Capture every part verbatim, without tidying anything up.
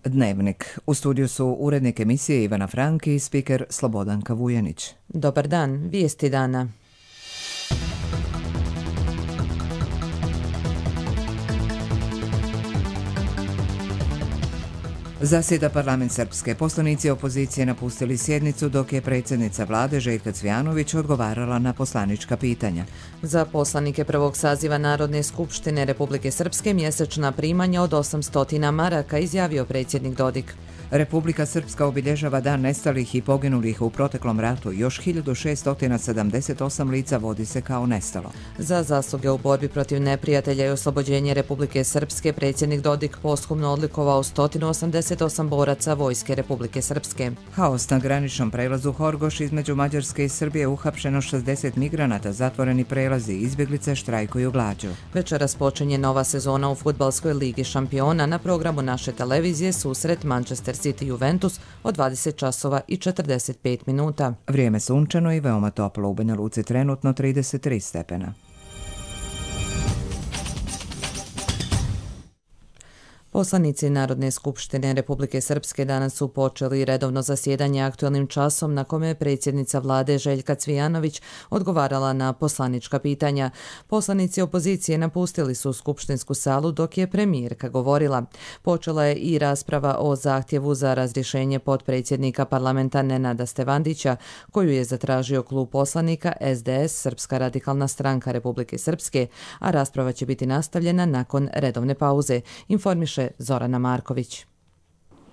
Dnevnik. U studiju su urednik emisije Ivana Franki i spiker Slobodanka Vujanić. Dobar dan, vijesti dana. Zasjeda parlament Srpske. Poslanici opozicije napustili sjednicu dok je predsjednica vlade Željka Cvijanović odgovarala na poslanička pitanja. Za poslanike prvog saziva Narodne skupštine Republike Srpske mjesečna primanja od osamsto maraka, izjavio predsjednik Dodik. Republika Srpska obilježava dan nestalih i poginulih u proteklom ratu. Još hiljadu šeststo sedamdeset osam lica vodi se kao nestalo. Za zasluge u borbi protiv neprijatelja i oslobođenje Republike Srpske predsjednik Dodik posthumno odlikovao sto osamdeset osam boraca Vojske Republike Srpske. Haos na graničnom prelazu Horgoš između Mađarske i Srbije, uhapšeno šezdeset migranata, zatvoreni prelazi, izbjeglice štrajkuju glađu. Večeras počinje nova sezona u fudbalskoj ligi šampiona. Na programu naše televizije susret Manchester City Juventus od dvadeset časova i četrdeset pet minuta. Vrijeme sunčano i veoma toplo, u Banja Luci trenutno trideset tri stepena. Poslanici Narodne skupštine Republike Srpske danas su počeli redovno zasjedanje aktualnim časom na kome je predsjednica vlade Željka Cvijanović odgovarala na poslanička pitanja. Poslanici opozicije napustili su skupštinsku salu dok je premijerka govorila. Počela je i rasprava o zahtjevu za razrješenje potpredsjednika parlamenta Nenada Stevandića, koju je zatražio klub poslanika S D S Srpska radikalna stranka Republike Srpske, a rasprava će biti nastavljena nakon redovne pauze, informiše Zorana Marković.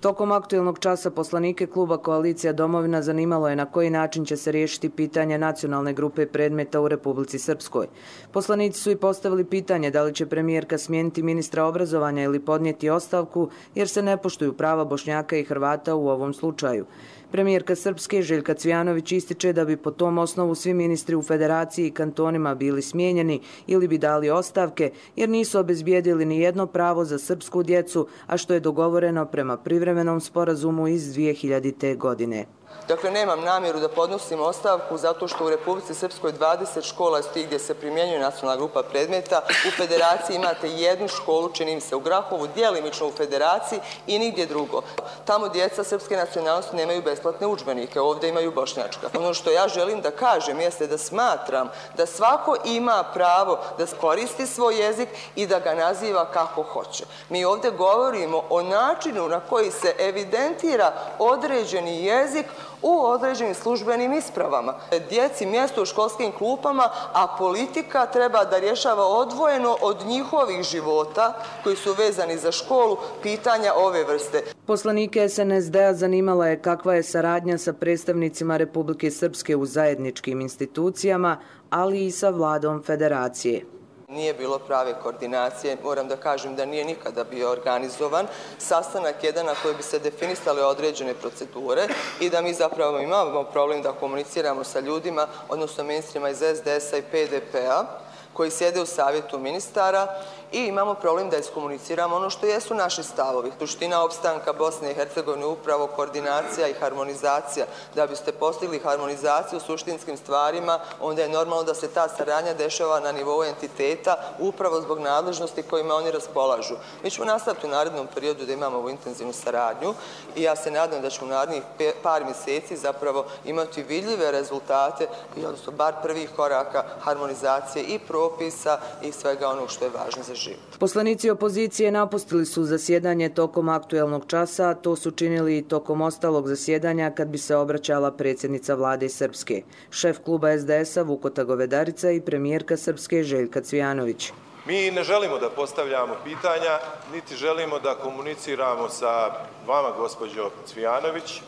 Tokom aktualnog časa poslanike kluba Koalicija Domovina zanimalo je na koji način će se riješiti pitanje nacionalne grupe predmeta u Republici Srpskoj. Poslanici su i postavili pitanje da li će premijerka smijeniti ministra obrazovanja ili podnijeti ostavku jer se ne poštuju prava Bošnjaka i Hrvata u ovom slučaju. Premijerka Srpske Željka Cvijanović ističe da bi po tom osnovu svi ministri u federaciji i kantonima bili smijenjeni ili bi dali ostavke jer nisu obezbijedili ni jedno pravo za srpsku djecu, a što je dogovoreno prema privremenom sporazumu iz dvije hiljadite. godine. Dakle, nemam namjeru da podnosim ostavku zato što u Republici Srpskoj dvadeset škola je gdje se primjenjuje nacionalna grupa predmeta. U federaciji imate jednu školu, čini mi se u Grahovu, djelimično u federaciji i nigdje drugo. Tamo djeca srpske nacionalnosti nemaju besplatne udžbenike, ovdje imaju bošnjačka. Ono što ja želim da kažem jeste da smatram da svako ima pravo da koristi svoj jezik i da ga naziva kako hoće. Mi ovdje govorimo o načinu na koji se evidentira određeni jezik u određenim službenim ispravama. Djeci mjesto u školskim klupama, a politika treba da rješava odvojeno od njihovih života koji su vezani za školu pitanja ove vrste. Poslanike S N S D-a zanimala je kakva je saradnja sa predstavnicima Republike Srpske u zajedničkim institucijama, ali i sa vladom federacije. Nije bilo prave koordinacije, moram da kažem da nije nikada bio organizovan sastanak jedan na koji bi se definisale određene procedure i da mi zapravo imamo problem da komuniciramo sa ljudima, odnosno ministrima iz S D S-a i P D P-a, koji sjede u savjetu ministara i imamo problem da iskomuniciramo ono što jesu naši stavovi. Suština opstanka Bosne i Hercegovine upravo koordinacija i harmonizacija. Da biste postigli harmonizaciju u suštinskim stvarima, onda je normalno da se ta saradnja dešava na nivou entiteta upravo zbog nadležnosti kojima oni raspolažu. Mi ćemo nastaviti u narednom periodu da imamo ovu intenzivnu saradnju i ja se nadam da ćemo u narednih par mjeseci zapravo imati vidljive rezultate i odnosno bar prvih koraka harmonizacije i propisa i svega onog što je važno za život. Poslanici opozicije napustili su zasjedanje tokom aktualnog časa, a to su činili i tokom ostalog zasjedanja kad bi se obraćala predsjednica vlade Srpske, šef kluba S D S-a Vukota Govedarica i premijerka Srpske Željka Cvijanović. Mi ne želimo da postavljamo pitanja, niti želimo da komuniciramo sa vama, gospođo Cvijanović,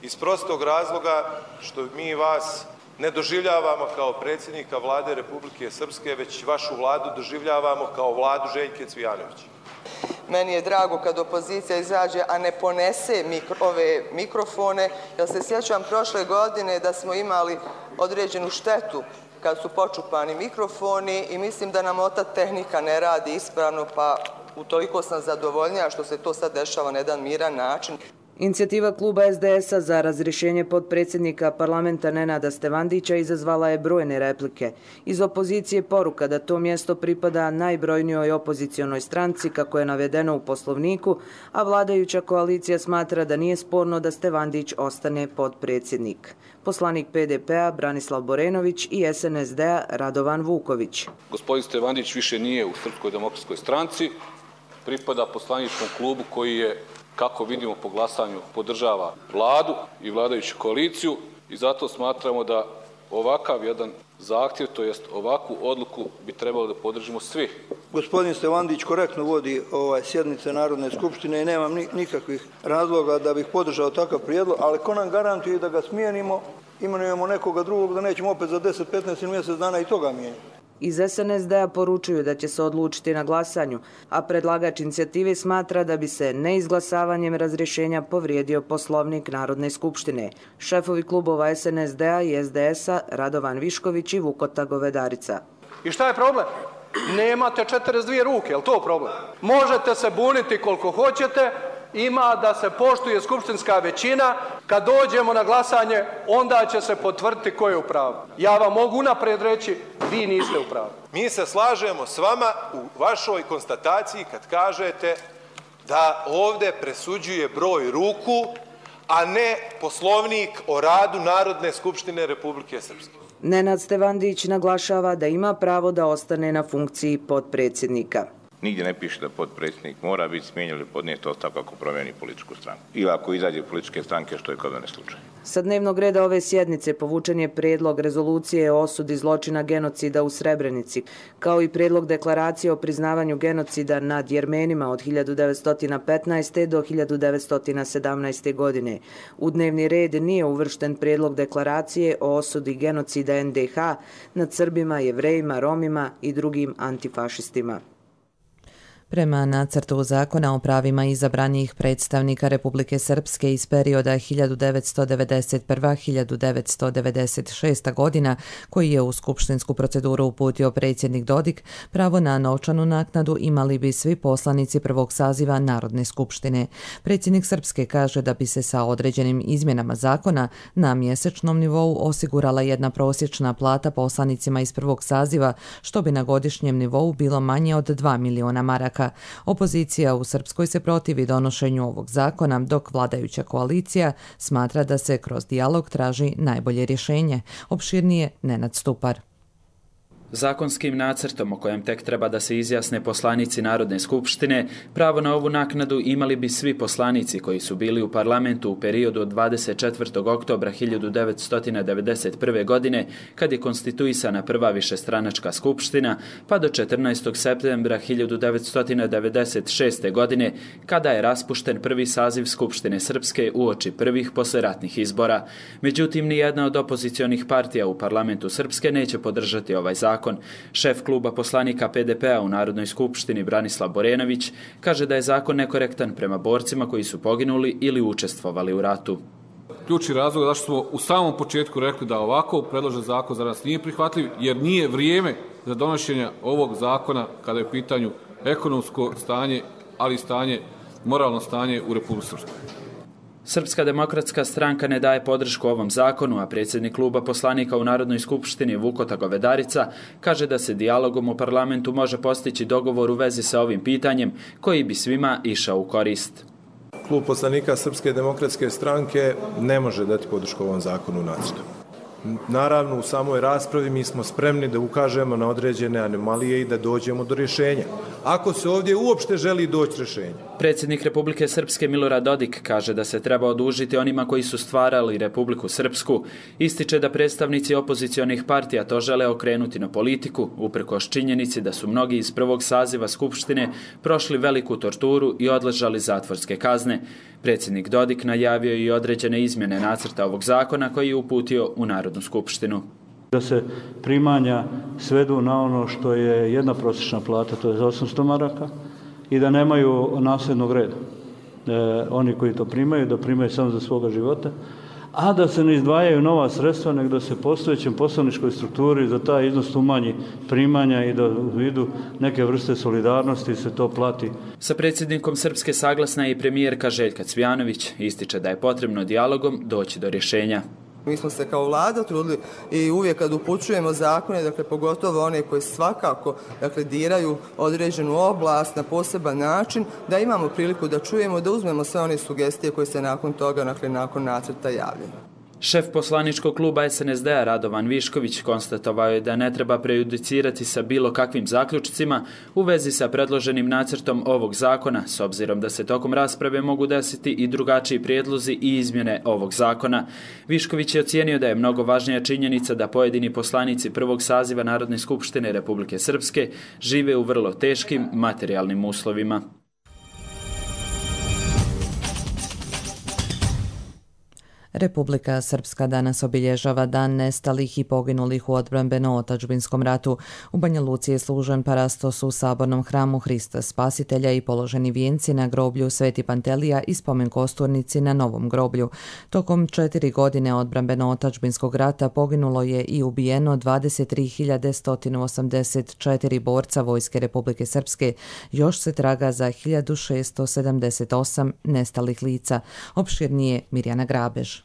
iz prostog razloga što mi vas ne doživljavamo kao predsjednika vlade Republike Srpske, već vašu vladu doživljavamo kao vladu Željke Cvijanović. Meni je drago kad opozicija izađe, a ne ponese mikro, ove mikrofone, jer se sjećam prošle godine da smo imali određenu štetu kad su počupani mikrofoni i mislim da nam ota tehnika ne radi ispravno, pa utoliko sam zadovoljnija što se to sad dešava na jedan miran način. Inicijativa kluba es de es a za razrješenje potpredsjednika parlamenta Nenada Stevandića izazvala je brojne replike. Iz opozicije poruka da to mjesto pripada najbrojnijoj opozicionoj stranci, kako je navedeno u Poslovniku, a vladajuća koalicija smatra da nije sporno da Stevandić ostane potpredsjednik. Poslanik pe de pe-a Branislav Borenović i es en es de-a Radovan Vuković. Gospodin Stevandić više nije u Srpskoj demokratskoj stranci, pripada poslaničkom klubu koji je, kako vidimo po glasanju, podržava vladu i vladajuću koaliciju i zato smatramo da ovakav jedan zahtjev, to jest ovakvu odluku, bi trebalo da podržimo svi. Gospodin Stevandić korektno vodi ovaj sjednice Narodne skupštine i nemam nikakvih razloga da bih podržao takav prijedlog, ali ko nam garantuje da ga smijenimo, imenujemo nekoga drugog, da nećemo opet za deset, petnaest ili mjesec dana i toga mijenjati. Iz es en es de-a poručuju da će se odlučiti na glasanju, a predlagač inicijative smatra da bi se neizglasavanjem razrješenja povrijedio Poslovnik Narodne skupštine. Šefovi klubova es en es de-a i es de es-a Radovan Višković i Vukota Govedarica. I šta je problem? Nemate četrdeset dvije ruke, je li to problem? Možete se buniti koliko hoćete, ima da se poštuje skupštinska većina, kad dođemo na glasanje, onda će se potvrditi ko je u pravu. Ja vam mogu naprijed reći, vi niste u pravu. Mi se slažemo s vama u vašoj konstataciji kad kažete da ovdje presuđuje broj ruku, a ne Poslovnik o radu Narodne skupštine Republike Srpske. Nenad Stevandić naglašava da ima pravo da ostane na funkciji potpredsjednika. Nigdje ne piše da potpredsjednik mora biti smijenjen ili podnijeti ostavku ako promijeni političku stranku. Ili ako izađe političke stranke, što je kod mene slučaj. Sa dnevnog reda ove sjednice povučen je prijedlog rezolucije o osudi zločina genocida u Srebrenici, kao i prijedlog deklaracije o priznavanju genocida nad Jermenima od hiljadu devetsto petnaeste. do hiljadu devetsto sedamnaeste. godine. U dnevni red nije uvršten prijedlog deklaracije o osudi genocida en de ha nad Srbima, Jevrejima, Romima i drugim antifašistima. Prema nacrtu zakona o pravima izabranih predstavnika Republike Srpske iz perioda hiljadu devetsto devedeset prva do hiljadu devetsto devedeset šesta. godina, koji je u skupštinsku proceduru uputio predsjednik Dodik, pravo na novčanu naknadu imali bi svi poslanici prvog saziva Narodne skupštine. Predsjednik Srpske kaže da bi se sa određenim izmjenama zakona na mjesečnom nivou osigurala jedna prosječna plata poslanicima iz prvog saziva, što bi na godišnjem nivou bilo manje od dva miliona maraka. Opozicija u Srpskoj se protivi donošenju ovog zakona, dok vladajuća koalicija smatra da se kroz dijalog traži najbolje rješenje. Opširnije Nenad Stupar. Zakonskim nacrtom o kojem tek treba da se izjasne poslanici Narodne skupštine, pravo na ovu naknadu imali bi svi poslanici koji su bili u parlamentu u periodu od dvadeset četvrtog oktobra hiljadu devetsto devedeset prve. godine, kad je konstituisana prva višestranačka skupština, pa do četrnaestog septembra hiljadu devetsto devedeset šeste. godine, kada je raspušten prvi saziv Skupštine Srpske uoči prvih posleratnih izbora. Međutim, nijedna od opozicionih partija u parlamentu Srpske neće podržati ovaj zakon. Šef kluba poslanika pe de pe-a u Narodnoj skupštini Branislav Borenović kaže da je zakon nekorektan prema borcima koji su poginuli ili učestvovali u ratu. Ključni razlog zašto smo u samom početku rekli da ovako predložen zakon za nas nije prihvatljiv, jer nije vrijeme za donošenje ovog zakona kada je u pitanju ekonomsko stanje, ali i stanje, moralno stanje u Republici Srpskoj. Srpska demokratska stranka ne daje podršku ovom zakonu, a predsjednik kluba poslanika u Narodnoj skupštini Vukota Govedarica kaže da se dijalogom u parlamentu može postići dogovor u vezi sa ovim pitanjem koji bi svima išao u korist. Klub poslanika Srpske demokratske stranke ne može dati podršku ovom zakonu u nacrtu. Naravno, u samoj raspravi mi smo spremni da ukažemo na određene anomalije i da dođemo do rješenja. Ako se ovdje uopšte želi doći rješenja. Predsjednik Republike Srpske Milorad Dodik kaže da se treba odužiti onima koji su stvarali Republiku Srpsku. Ističe da predstavnici opozicionih partija to žele okrenuti na politiku, uprkos činjenici da su mnogi iz prvog saziva Skupštine prošli veliku torturu i odležali zatvorske kazne. Predsjednik Dodik najavio i određene izmjene nacrta ovog zakona koji je uputio u Narodnu skupštinu. Da se primanja svedu na ono što je jedna prosječna plata, to je za osamsto maraka, i da nemaju nasljednog reda. E, oni koji to primaju, da primaju samo za svoga života, a da se ne izdvajaju nova sredstva, nego da se postojećem poslaničkoj strukturi za taj iznos umanji primanja i da u vidu neke vrste solidarnosti se to plati. Sa predsjednikom Srpske saglasna je i premijerka Željka Cvijanović. Ističe da je potrebno dijalogom doći do rješenja. Mi smo se kao vlada trudili i uvijek kad upućujemo zakone, dakle pogotovo one koji svakako dakle, diraju određenu oblast na poseban način, da imamo priliku da čujemo, da uzmemo sve one sugestije koje se nakon toga, dakle nakon nacrta javljaju. Šef poslaničkog kluba S N S D-a Radovan Višković konstatovao je da ne treba prejudicirati sa bilo kakvim zaključcima u vezi sa predloženim nacrtom ovog zakona, s obzirom da se tokom rasprave mogu desiti i drugačiji prijedlozi i izmjene ovog zakona. Višković je ocijenio da je mnogo važnija činjenica da pojedini poslanici prvog saziva Narodne skupštine Republike Srpske žive u vrlo teškim materijalnim uslovima. Republika Srpska danas obilježava Dan nestalih i poginulih u odbrambeno-otadžbinskom ratu. U Banja Luci je služen parastos u sabornom hramu Hrista Spasitelja i položeni vijenci na groblju Sveti Pantelija i spomen kosturnici na novom groblju. Tokom četiri godine odbrambeno-otadžbinskog rata poginulo je i ubijeno dvadeset tri hiljade sto osamdeset četiri borca Vojske Republike Srpske. Još se traga za hiljadu šesto sedamdeset osam nestalih lica. Opširnije Mirjana Grabež.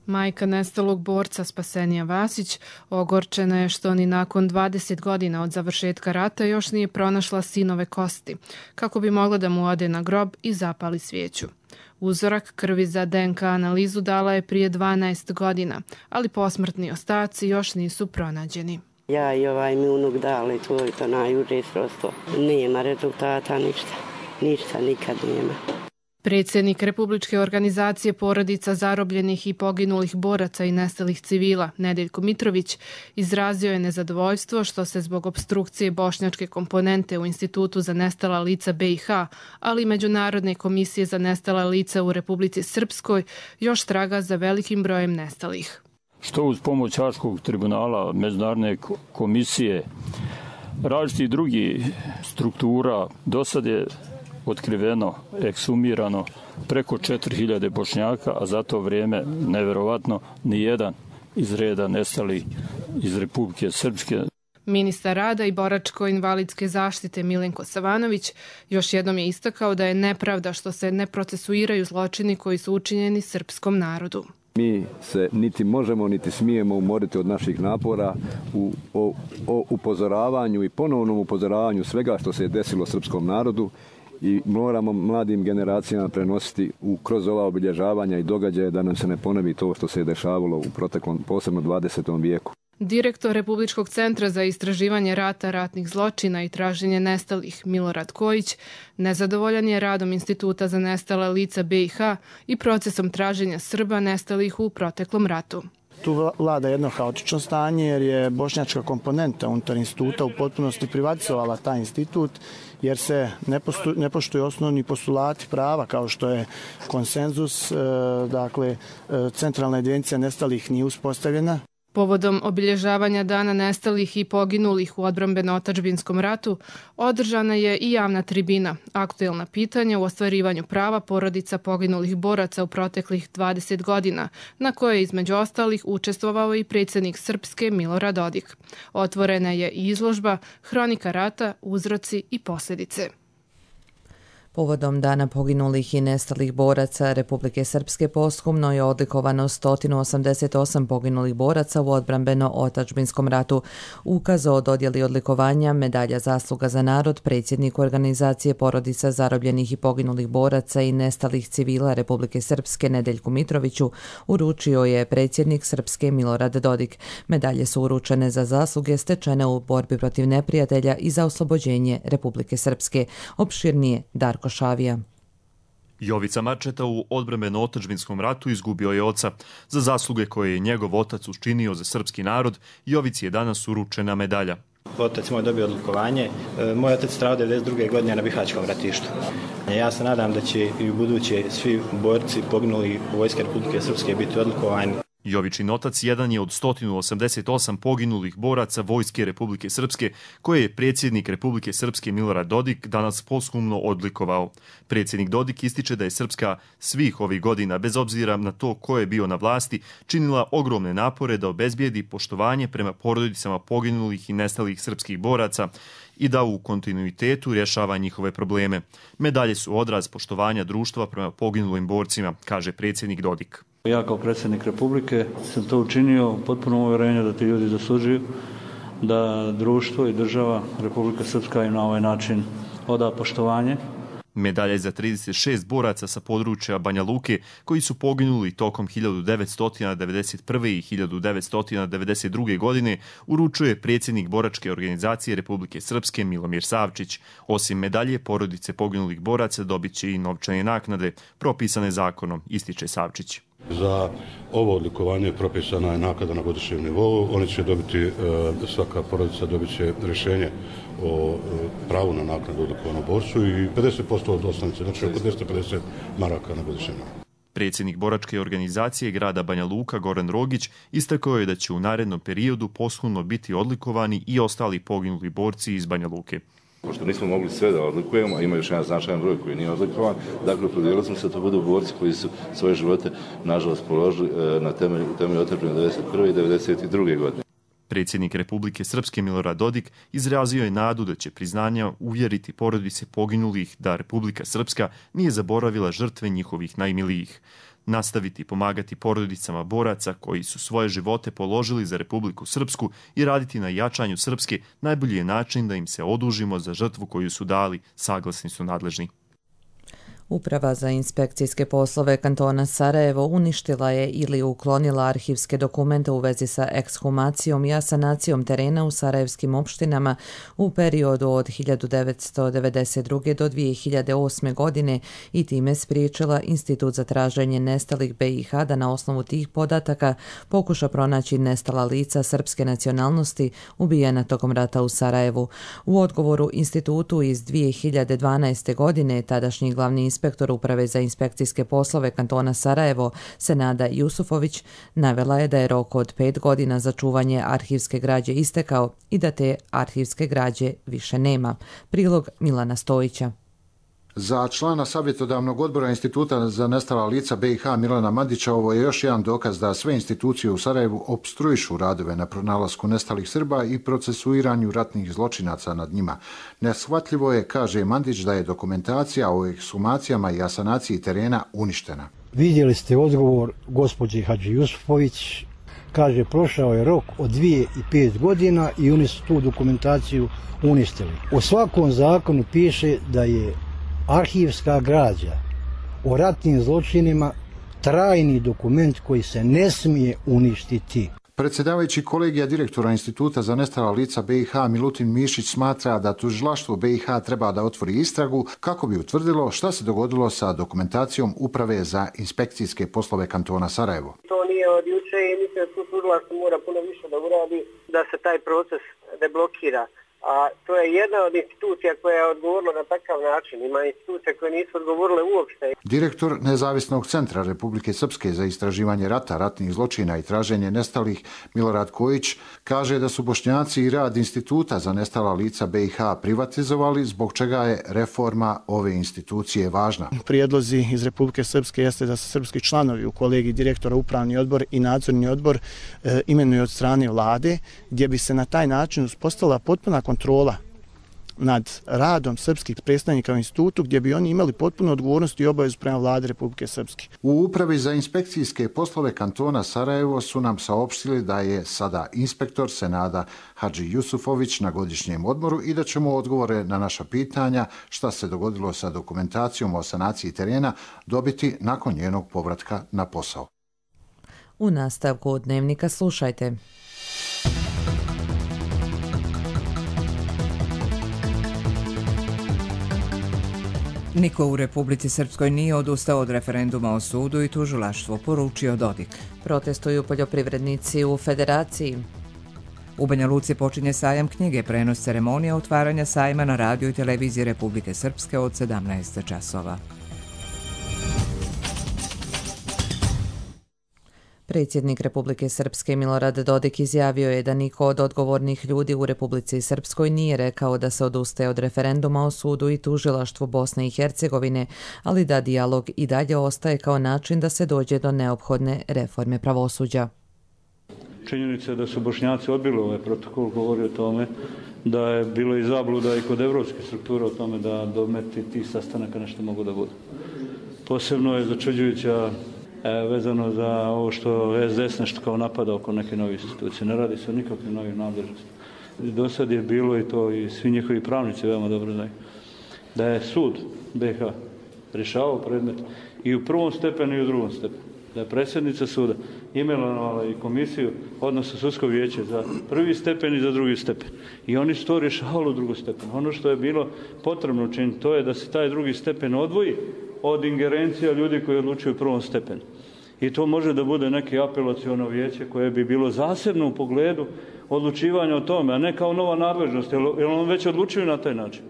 Majka nestalog borca Spasenija Vasić ogorčena je što ni nakon dvadeset godina od završetka rata još nije pronašla sinove kosti, kako bi mogla da mu ode na grob i zapali svijeću. Uzorak krvi za D N K analizu dala je prije dvanaest godina, ali posmrtni ostaci još nisu pronađeni. Ja i ovaj mi unuk dali tvoj to najuže srodstvo. Nema rezultata, ništa. Ništa nikad nema. Predsjednik Republičke organizacije porodica zarobljenih i poginulih boraca i nestalih civila, Nedeljko Mitrović, izrazio je nezadovoljstvo što se zbog opstrukcije bošnjačke komponente u Institutu za nestala lica B i H, ali i Međunarodne komisije za nestala lica u Republici Srpskoj, još traga za velikim brojem nestalih. Što uz pomoć Haškog tribunala, Međunarodne komisije, različitih drugih struktura, do sad je otkriveno, eksumirano preko četiri hiljade Bošnjaka, a za to vrijeme, neverovatno, ni jedan iz reda nestali iz Republike Srpske. Ministar rada i boračko-invalidske zaštite Milenko Savanović još jednom je istakao da je nepravda što se ne procesuiraju zločini koji su učinjeni srpskom narodu. Mi se niti možemo, niti smijemo umoriti od naših napora u, o, o upozoravanju i ponovnom upozoravanju svega što se je desilo srpskom narodu i moramo mladim generacijama prenositi u, kroz ova obilježavanja i događaje da nam se ne ponovi to što se je dešavalo u proteklom, posebno dvadesetom vijeku. Direktor Republičkog centra za istraživanje rata, ratnih zločina i traženje nestalih Milorad Kojić nezadovoljan je radom Instituta za nestala lica B i H i procesom traženja Srba nestalih u proteklom ratu. Tu vlada jedno haotično stanje jer je bošnjačka komponenta unutar instituta u potpunosti privatizovala taj institut jer se ne, postu, ne poštuju osnovni postulati prava kao što je konsenzus, e, dakle e, centralna evidencija nestalih nije uspostavljena. Povodom obilježavanja Dana nestalih i poginulih u odbrambeno-otadžbinskom ratu održana je i javna tribina, aktuelna pitanja u ostvarivanju prava porodica poginulih boraca u proteklih dvadeset godina, na kojoj je između ostalih učestvovao i predsjednik Srpske Milorad Dodik. Otvorena je i izložba Hronika rata, uzroci i posljedice. Povodom Dana poginulih i nestalih boraca Republike Srpske posthumno je odlikovano sto osamdeset osam poginulih boraca u odbrambeno-otadžbinskom ratu. Ukaz o dodjeli odlikovanja medalja zasluga za narod predsjednik organizacije porodica zarobljenih i poginulih boraca i nestalih civila Republike Srpske Nedeljku Mitroviću uručio je predsjednik Srpske Milorad Dodik. Medalje su uručene za zasluge stečene u borbi protiv neprijatelja i za oslobođenje Republike Srpske. Opširnije Darko Šavija. Jovica Marčeta u odbrambeno-otadžbinskom ratu izgubio je oca. Za zasluge koje je njegov otac učinio za srpski narod, Jovici je danas uručena medalja. Otac moj dobio odlikovanje. Moj otac stradao devedeset druge godine na Bihaćkom ratištu. Ja se nadam da će i u buduće svi borci poginuli u Vojske Republike Srpske biti odlikovani. Jovičin otac jedan je od sto osamdeset osam poginulih boraca Vojske Republike Srpske, koje je predsjednik Republike Srpske Milorad Dodik danas posthumno odlikovao. Predsjednik Dodik ističe da je Srpska svih ovih godina, bez obzira na to ko je bio na vlasti, činila ogromne napore da obezbijedi poštovanje prema porodicama poginulih i nestalih srpskih boraca i da u kontinuitetu rješava njihove probleme. Medalje su odraz poštovanja društva prema poginulim borcima, kaže predsjednik Dodik. Ja kao predsjednik Republike sam to učinio u potpunom uvjerenju da ti ljudi zaslužuju, da društvo i država Republika Srpska im na ovaj način oda poštovanje. Medalje za trideset šest boraca sa područja Banja Luke koji su poginuli tokom hiljadu devetsto devedeset prve i hiljadu devetsto devedeset druge. godine uručuje predsjednik boračke organizacije Republike Srpske Milomir Savčić. Osim medalje, porodice poginulih boraca dobit će i novčane naknade propisane zakonom, ističe Savčić. Za ovo odlikovanje propisana je naknada na godišnjem nivou. Oni će dobiti, svaka porodica dobit će rješenje o pravu na naknadu odlikovanom borcu i pedeset posto od osnovice, znači oko dvjesto pedeset maraka na godišnjem nivou. Predsjednik boračke organizacije grada Banja Luka Goran Rogić istakao je da će u narednom periodu posthumno biti odlikovani i ostali poginuli borci iz Banja Luke. Pošto nismo mogli sve da odlikujemo, a ima još jedan značajan broj koji nije odlikovan, dakle opredijelili smo se da to budu borci koji su svoje živote nažalost položili na temelju, temelju otadžbine devedeset prve i devedeset druge. godine. Predsjednik Republike Srpske Milorad Dodik izrazio je nadu da će priznanja uvjeriti porodice poginulih da Republika Srpska nije zaboravila žrtve njihovih najmilijih. Nastaviti pomagati porodicama boraca koji su svoje živote položili za Republiku Srpsku i raditi na jačanju Srpske najbolji je način da im se odužimo za žrtvu koju su dali, saglasni su nadležni. Uprava za inspekcijske poslove kantona Sarajevo uništila je ili uklonila arhivske dokumente u vezi sa ekshumacijom i asanacijom terena u sarajevskim opštinama u periodu od hiljadu devetsto devedeset druge. do dvije hiljade osme. godine i time spriječila Institut za traženje nestalih B i H da na osnovu tih podataka pokuša pronaći nestala lica srpske nacionalnosti ubijena tokom rata u Sarajevu. U odgovoru institutu iz dvije hiljade dvanaeste. godine tadašnji glavni inspektor Uprave za inspekcijske poslove kantona Sarajevo, Senada Jusufović, navela je da je rok od pet godina za čuvanje arhivske građe istekao i da te arhivske građe više nema. Prilog Milana Stojića. Za člana savjetodavnog odbora Instituta za nestala lica B i H Milana Mandića ovo je još jedan dokaz da sve institucije u Sarajevu opstruišu radove na pronalasku nestalih Srba i procesuiranju ratnih zločinaca nad njima. Neshvatljivo je, kaže Mandić, da je dokumentacija o ekshumacijama i asanaciji terena uništena. Vidjeli ste odgovor gospođe Hadži Jusufović. Kaže, prošao je rok od dvije i pet godina i oni su tu dokumentaciju uništili. U svakom zakonu piše da je arhivska građa o ratnim zločinima trajni dokument koji se ne smije uništiti. Predsjedavajući kolegija direktora Instituta za nestala lica B i H Milutin Mišić smatra da tužilaštvo B i H treba da otvori istragu kako bi utvrdilo šta se dogodilo sa dokumentacijom Uprave za inspekcijske poslove kantona Sarajevo. To nije od juče i mislim da tu tužilaštvo mora puno više da uradi da se taj proces deblokira. A to je jedna od institucija koja je odgovorila na takav način. Ima institucije koje nisu odgovorile uopšte. Direktor Nezavisnog centra Republike Srpske za istraživanje rata, ratnih zločina i traženje nestalih Milorad Kojić kaže da su Bošnjaci i rad Instituta za nestala lica B i H privatizovali, zbog čega je reforma ove institucije važna. Prijedlozi iz Republike Srpske jeste da se srpski članovi u kolegiji direktora upravni odbor i nadzorni odbor e, imenuju od strane vlade, gdje bi se na taj način uspostavila potpuna kontrola nad radom srpskih predstavnika u institutu, gdje bi oni imali potpunu odgovornost i obavezu prema vlade Republike Srpske. U Upravi za inspekcijske poslove kantona Sarajevo su nam saopštili da je sada inspektor Senada Hadži Jusufović na godišnjem odmoru i da ćemo odgovore na naša pitanja šta se dogodilo sa dokumentacijom o sanaciji terena dobiti nakon njenog povratka na posao. U nastavku dnevnika slušajte. Niko u Republici Srpskoj nije odustao od referenduma o sudu i tužilaštvo, poručio Dodik. Protestuju poljoprivrednici u Federaciji. U Banja Luci počinje sajam knjige, prenos ceremonija otvaranja sajma na radiju i televiziji Republike Srpske od sedamnaest časova. Predsjednik Republike Srpske Milorad Dodik izjavio je da niko od odgovornih ljudi u Republici Srpskoj nije rekao da se odustaje od referenduma o sudu i tužilaštvu Bosne i Hercegovine, ali da dijalog i dalje ostaje kao način da se dođe do neophodne reforme pravosuđa. Činjenica je da su Bošnjaci odbili ovaj protokol, govori o tome da je bilo i zabluda i kod evropskih struktura o tome da dometi tih sastanaka nešto mogu da budu. Posebno je začuđujuća vezano za ovo što es de es nešto kao napada oko neke nove institucije. Ne radi se o nikakvim novim nadležnostima. Do sad je bilo i to, i svi njihovi pravnici veoma dobro znaju, da je sud be ha rješavao predmet i u prvom stepenu i u drugom stepenu. Da je predsjednica suda imenovala i komisiju, odnosno sudsko vijeće za prvi stepen i za drugi stepen. I oni su to rješavali u drugom stepenu. Ono što je bilo potrebno učiniti, to je da se taj drugi stepen odvoji od ingerencija ljudi koji odlučuju u prvom stepenu. I to može da bude neki apelaciono vijeće koje bi bilo zasebno u pogledu odlučivanja o tome, a ne kao nova nadležnost, jer on već odlučuju na taj način.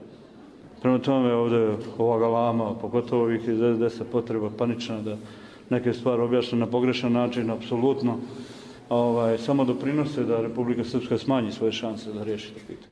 Prema tome ovdje ova galama, pogotovo ovih iz es de es-a potreba panična da neke stvari objašnjene na pogrešan način, apsolutno ovaj, samo doprinose da Republika Srpska smanji svoje šanse da riješi to pitanje.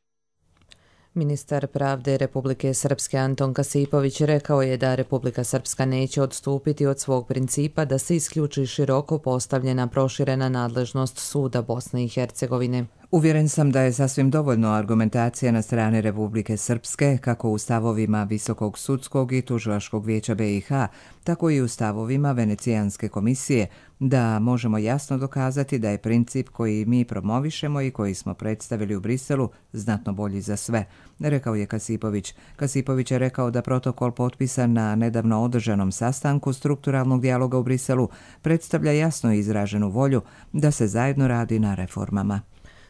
Ministar pravde Republike Srpske Anton Kasipović rekao je da Republika Srpska neće odstupiti od svog principa da se isključi široko postavljena proširena nadležnost suda Bosne i Hercegovine. Uvjeren sam da je sasvim dovoljno argumentacija na strani Republike Srpske, kako u stavovima Visokog sudskog i tužilačkog vijeća be i ha, tako i u stavovima Venecijanske komisije, da možemo jasno dokazati da je princip koji mi promovišemo i koji smo predstavili u Briselu znatno bolji za sve, rekao je Kasipović. Kasipović je rekao da protokol potpisan na nedavno održanom sastanku strukturalnog dijaloga u Briselu predstavlja jasno izraženu volju da se zajedno radi na reformama.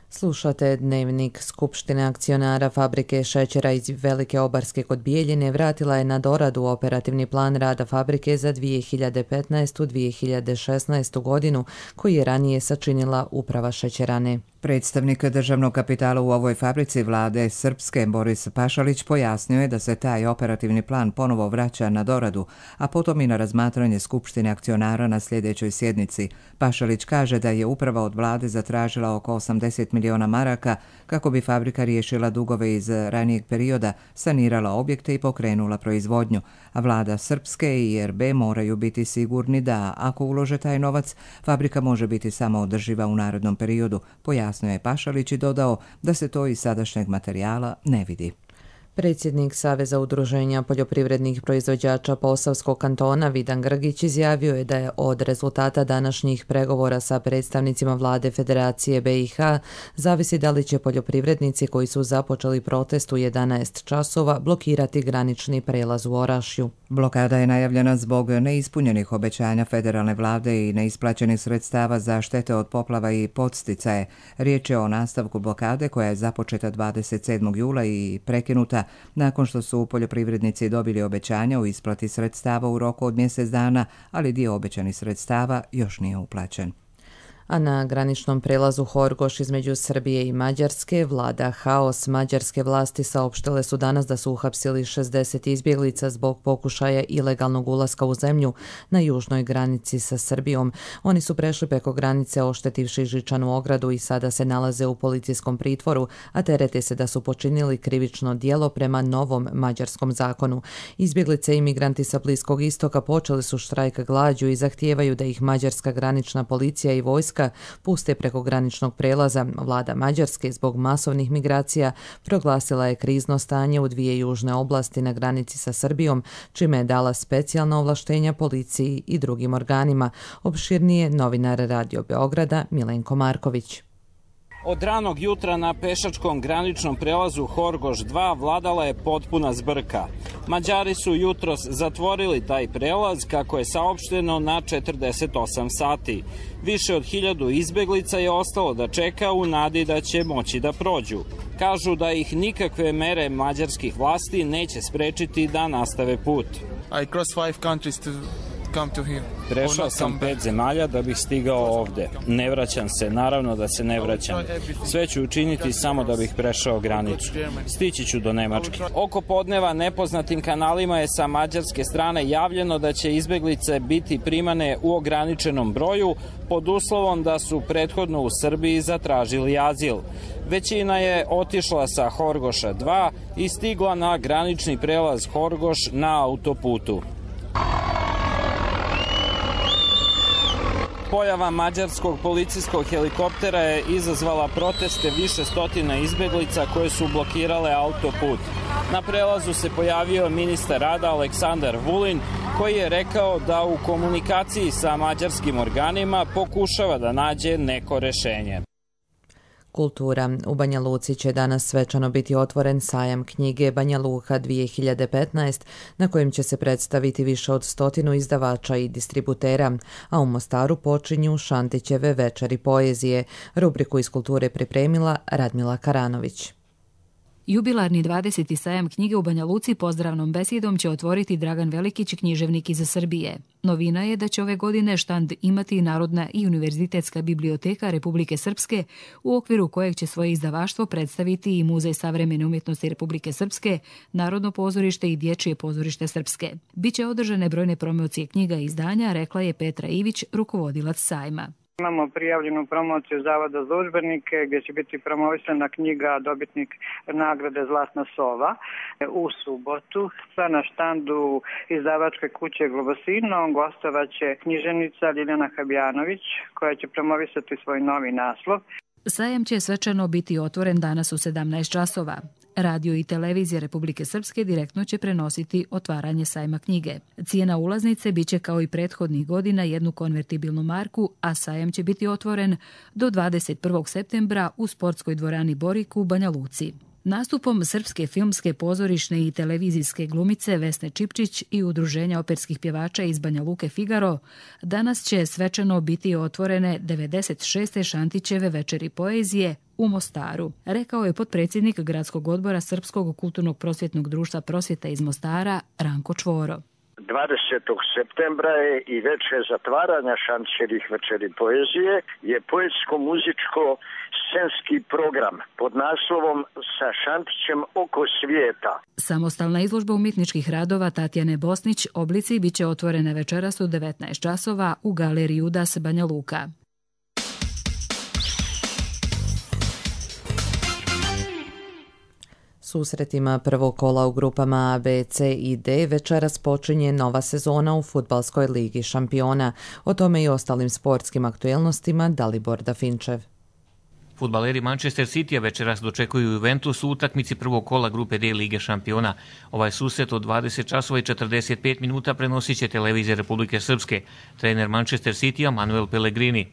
Slušate dnevnik. Skupštine akcionara fabrike šećera iz Velike Obarske kod Bijeljine vratila je na doradu operativni plan rada fabrike za dvije hiljade petnaestu do dvije hiljade šesnaestu godinu, koji je ranije sačinila uprava šećerane. Predstavnik državnog kapitala u ovoj fabrici vlade Srpske Boris Pašalić pojasnio je da se taj operativni plan ponovo vraća na doradu, a potom i na razmatranje Skupštine akcionara na sljedećoj sjednici. Pašalić kaže da je uprava od vlade zatražila oko osamdeset miliona maraka kako bi fabrika riješila dugove iz ranijeg perioda, sanirala objekte i pokrenula proizvodnju, a vlada Srpske i er be moraju biti sigurni da, ako ulože taj novac, fabrika može biti samo održiva u narednom periodu, pojasnio je Pašalić i dodao da se to iz sadašnjeg materijala ne vidi. Predsjednik Saveza udruženja poljoprivrednih proizvođača Posavskog kantona Vidan Grgić izjavio je da je od rezultata današnjih pregovora sa predstavnicima vlade Federacije be i ha zavisi da li će poljoprivrednici koji su započeli protest u jedanaest časova blokirati granični prelaz u Orašju. Blokada je najavljena zbog neispunjenih obećanja federalne vlade i neisplaćenih sredstava za štete od poplava i podsticaje. Riječ je o nastavku blokade koja je započeta dvadeset sedmog jula i prekinuta nakon što su poljoprivrednici dobili obećanja o isplati sredstava u roku od mjesec dana, ali dio obećanih sredstava još nije uplaćen. A na graničnom prelazu Horgoš između Srbije i Mađarske vlada haos. Mađarske vlasti saopštile su danas da su uhapsili šezdeset izbjeglica zbog pokušaja ilegalnog ulaska u zemlju na južnoj granici sa Srbijom. Oni su prešli preko granice oštetivši žičanu ogradu i sada se nalaze u policijskom pritvoru, a terete se da su počinili krivično djelo prema novom mađarskom zakonu. Izbjeglice i migranti sa Bliskog istoka počeli su štrajk glađu i zahtijevaju da ih mađarska granična policija i vojska puste preko graničnog prelaza. Vlada Mađarske zbog masovnih migracija proglasila je krizno stanje u dvije južne oblasti na granici sa Srbijom, čime je dala specijalna ovlaštenja policiji i drugim organima. Opširnije novinar Radio Beograda Milenko Marković. Od ranog jutra na pešačkom graničnom prelazu Horgoš dva vladala je potpuna zbrka. Mađari su jutros zatvorili taj prelaz, kako je saopšteno, na četrdeset osam sati. Više od hiljadu izbeglica je ostalo da čeka u nadi da će moći da prođu. Kažu da ih nikakve mere mađarskih vlasti neće sprečiti da nastave put. I cross five countries to Prešao sam pet zemalja da bih stigao ovde. Ne vraćam se, naravno da se ne vraćam. Sve ću učiniti samo da bih prešao granicu. Stići ću do Nemačke. Oko podneva nepoznatim kanalima je sa mađarske strane javljeno da će izbeglice biti primane u ograničenom broju pod uslovom da su prethodno u Srbiji zatražili azil. Većina je otišla sa Horgoša dva i stigla na granični prelaz Horgoš na autoputu. Pojava mađarskog policijskog helikoptera je izazvala proteste više stotina izbeglica koje su blokirale autoput. Na prelazu se pojavio ministar rada Aleksandar Vulin, koji je rekao da u komunikaciji sa mađarskim organima pokušava da nađe neko rešenje. Kultura. U Banja Luci će danas svečano biti otvoren sajam knjige Banja Luka dvije hiljade petnaest, na kojem će se predstaviti više od stotinu izdavača i distributera, a u Mostaru počinju Šantićeve večeri poezije. Rubriku iz kulture pripremila Radmila Karanović. Jubilarni dvadeseti sajam knjige u Banja Luci pozdravnom besedom će otvoriti Dragan Velikić, književnik iz Srbije. Novina je da će ove godine štand imati Narodna i Univerzitetska biblioteka Republike Srpske, u okviru kojeg će svoje izdavaštvo predstaviti i Muzej savremene umjetnosti Republike Srpske, Narodno pozorište i Dječje pozorište Srpske. Biće održane brojne promocije knjiga i izdanja, rekla je Petra Ivić, rukovodilac sajma. Imamo prijavljenu promociju Zavoda za udžbenike gdje će biti promovisana knjiga dobitnik nagrade Zlatna sova u subotu. Sa na štandu izdavačke kuće Globosino gostovaće književnica Ljiljana Habjanović koja će promovisati svoj novi naslov. Sajam će svečano biti otvoren danas u sedamnaest časova. Radio i televizija Republike Srpske direktno će prenositi otvaranje sajma knjige. Cijena ulaznice biće kao i prethodnih godina jednu konvertibilnu marku, a sajam će biti otvoren do dvadeset prvog septembra u sportskoj dvorani Borik u Banja Luci. Nastupom srpske filmske, pozorišne i televizijske glumice Vesne Čipčić i udruženja operskih pjevača iz Banja Luke Figaro danas će svečano biti otvorene devedeset šeste Šantićeve večeri poezije u Mostaru, rekao je potpredsjednik Gradskog odbora Srpskog kulturnog prosvjetnog društva Prosvjeta iz Mostara Ranko Čvoro. dvadesetog septembra je i večer zatvaranja Šantićevih večeri poezije je poetsko-muzičko scenski program pod naslovom Sa Šantićem oko svijeta. Samostalna izložba umjetničkih radova Tatjane Bosnić Oblici biće otvorene večeras u devetnaest časova u galeriji Udas Banja Luka. Susretima prvog kola u grupama A, B, C i D večeras počinje nova sezona u Fudbalskoj ligi šampiona. O tome i ostalim sportskim aktuelnostima Dalibor Dafinčev. Fudbaleri Manchester City večeras dočekuju Juventus u utakmici prvog kola grupe D Lige šampiona. Ovaj susret od dvadeset časova i četrdeset pet minuta prenosit će televizija Republike Srpske. Trener Manchester City Manuel Pellegrini.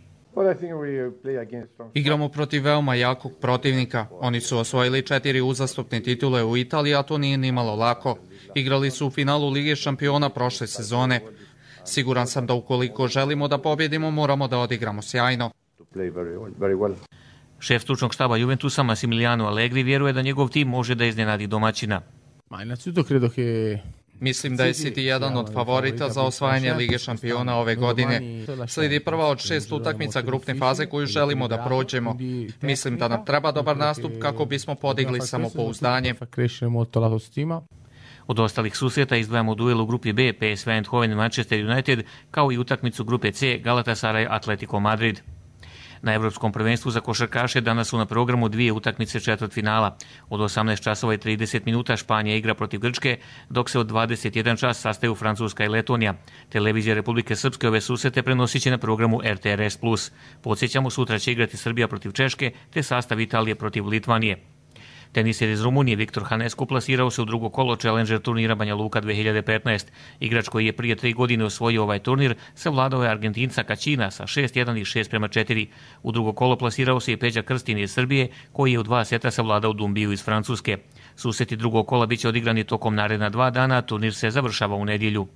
Igramo protiv veoma jakog protivnika. Oni su osvojili četiri uzastopne titule u Italiji, a to nije nimalo lako. Igrali su u finalu Lige šampiona prošle sezone. Siguran sam da ukoliko želimo da pobjedimo, moramo da odigramo sjajno. Šef stručnog štaba Juventusa Massimiliano Allegri vjeruje da njegov tim može da iznenadi domaćina. Mislim da je City jedan od favorita za osvajanje Lige šampiona ove godine. Slijedi prva od šest utakmica grupne faze koju želimo da prođemo. Mislim da nam treba dobar nastup kako bismo podigli samopouzdanje. Od ostalih susreta izdvajamo duel u grupi B P S V Eindhoven Manchester United kao i utakmicu grupe C Galatasaray Atletico Madrid. Na Evropskom prvenstvu za košarkaše danas su na programu dvije utakmice četvrtfinala. Od osamnaest časova i trideset minuta Španija igra protiv Grčke, dok se od dvadeset jedan čas sastaju Francuska i Letonija. Televizija Republike Srpske ove susrete prenosit će na programu R T R S plus. Podsjećamo, sutra će igrati Srbija protiv Češke, te sastav Italije protiv Litvanije. Teniser iz Rumunije Viktor Hanescu plasirao se u drugo kolo Challenger turnira Banja Luka dvije hiljade petnaest. Igrač koji je prije tri godine osvojio ovaj turnir savladao je Argentinca Kaćina sa šest jedan i šest prema četiri. U drugo kolo plasirao se i Peđa Krstin iz Srbije, koji je u dva seta savladao Dumbiju iz Francuske. Susreti drugog kola biće odigrani tokom naredna dva dana, turnir se završava u nedjelju.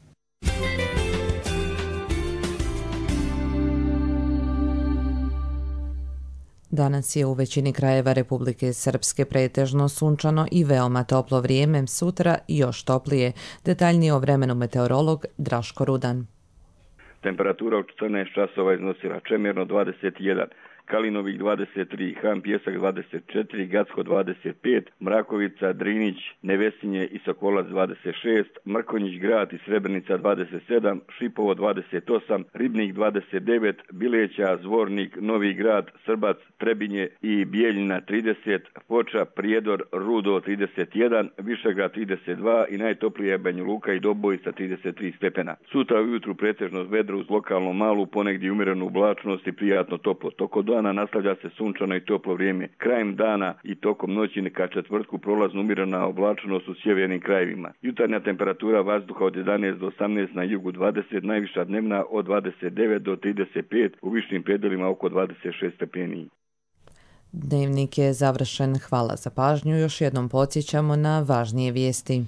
Danas je u većini krajeva Republike Srpske pretežno sunčano i veoma toplo vrijeme, sutra još toplije. Detaljnije o vremenu meteorolog Draško Rudan. Temperatura u četrnaest časova iznosila Čemerno dvadeset jedan, Kalinovik dvadeset tri, Han Pjesak dvadeset četiri, Gacko dvadeset pet, Mrakovica, Drinić, Nevesinje i Sokolac dvadeset šest, Mrkonjić Grad i Srebrenica dvadeset sedam, Šipovo dvadeset osam, Ribnik dvadeset devet, Bileća, Zvornik, Novi Grad, Srbac, Trebinje i Bijeljina trideset, Foča, Prijedor, Rudo trideset jedan, Višegrad trideset dva i najtoplije Banja Luka i Doboj sa trideset tri stepena. Sutra ujutru pretežno vedro uz lokalno malu, ponegdje umjerenu oblačnost i prijatno toplo. Toko dana nastavlja se sunčano i toplo vrijeme. Krajem dana i tokom noći ka četvrtku prolazno umjerena oblačnost u sjevernim krajevima. Jutarnja temperatura vazduha od jedanaest do osamnaest, na jugu dvadeset, najviša dnevna od dvadeset devet do trideset pet, u višim predelima oko dvadeset šest stepeni. Dnevnik je završen. Hvala za pažnju. Još jednom podsjećamo na važnije vijesti.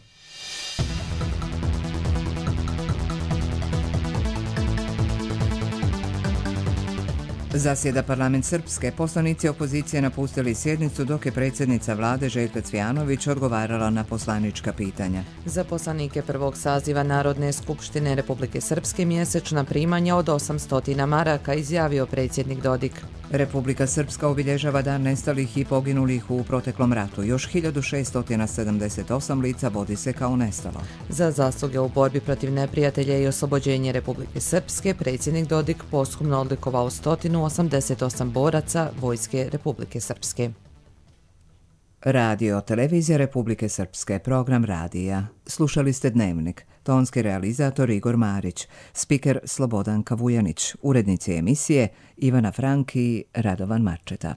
Zasjeda parlament Srpske. Poslanici opozicije napustili sjednicu dok je predsjednica vlade Željka Cvijanović odgovarala na poslanička pitanja. Za poslanike prvog saziva Narodne skupštine Republike Srpske mjesečna primanja od osamsto maraka, izjavio predsjednik Dodik. Republika Srpska obilježava dan nestalih i poginulih u proteklom ratu. Još hiljadu šesto sedamdeset osam lica vodi se kao nestalo. Za zasluge u borbi protiv neprijatelja i oslobođenje Republike Srpske, predsjednik Dodik posthumno odlikovao sto osamdeset osam boraca Vojske Republike Srpske. Radio Televizija Republike Srpske, program radija. Slušali ste Dnevnik. Tonski realizator Igor Marić, spiker Slobodan Kavujanić, urednici emisije Ivana Frank i Radovan Marčeta.